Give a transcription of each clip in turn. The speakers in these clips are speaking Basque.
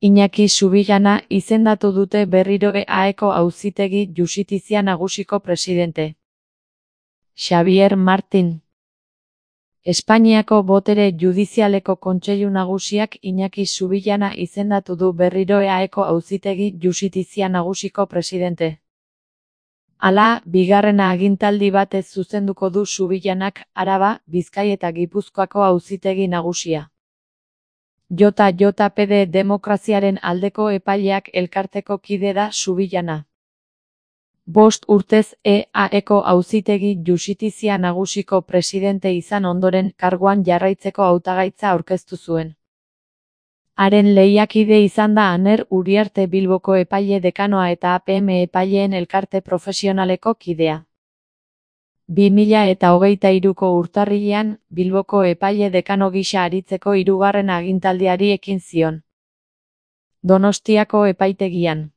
Iñaki Subillana izendatu dute berriro EAeko Auzitegi Justizia Nagusiko presidente. Xabier Martin. Espainiako botere judizialeko kontseilu nagusiak Iñaki Subillana izendatu du berriro EAeko Auzitegi Justizia Nagusiko presidente. Hala, bigarren agintaldi batez zuzenduko du Subillanak Araba, Bizkai eta Gipuzkoako Auzitegi Nagusia. JJPD Demokraziaren aldeko epaileak elkarteko kide da Subillana. 5 urtez EAeko Auzitegi Justizia Nagusiko presidente izan ondoren karguan jarraitzeko hautagaitza aurkeztu zuen. Haren lehiakide izan da Aner Uriarte Bilboko epaile dekanoa eta APM epaileen elkarte profesionaleko kidea. 2023ko urtarrilean, Bilboko epaile dekano gisa aritzeko hirugarren agintaldiari ekin zion. Donostiako epaitegian.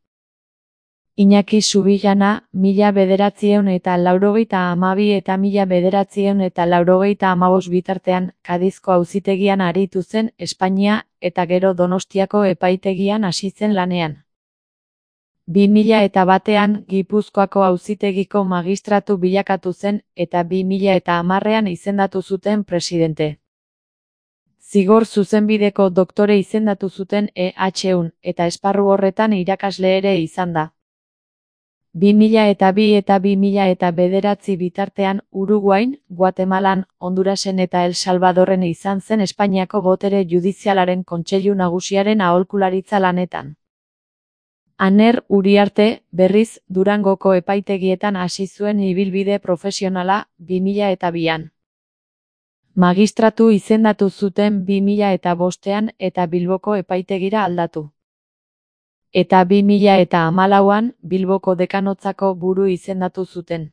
Iñaki Subillana, 1992 eta 1995 bitartean, Kadizko auzitegian aritu zen Espainia, eta gero Donostiako epaitegian hasi zen lanean. 2001an Gipuzkoako auzitegiko magistratu bilakatu zen, eta 2010an izendatu zuten presidente. Zigor zuzenbideko doktore izendatu zuten EHUn, eta esparru horretan irakasle ere izan da. 2002 eta 2009 bitartean Uruguain, Guatemalan, Hondurasen eta El Salvadorren izan zen Espainiako botere judizialaren kontseilu nagusiaren aholkularitza lanetan. Aner Uriarte, berriz, Durangoko epaitegietan hasi zuen ibilbide profesionala 2002an. Magistratu izendatu zuten 2005an eta Bilboko epaitegira aldatu. Eta 2014an Bilboko dekanotzako buru izendatu zuten.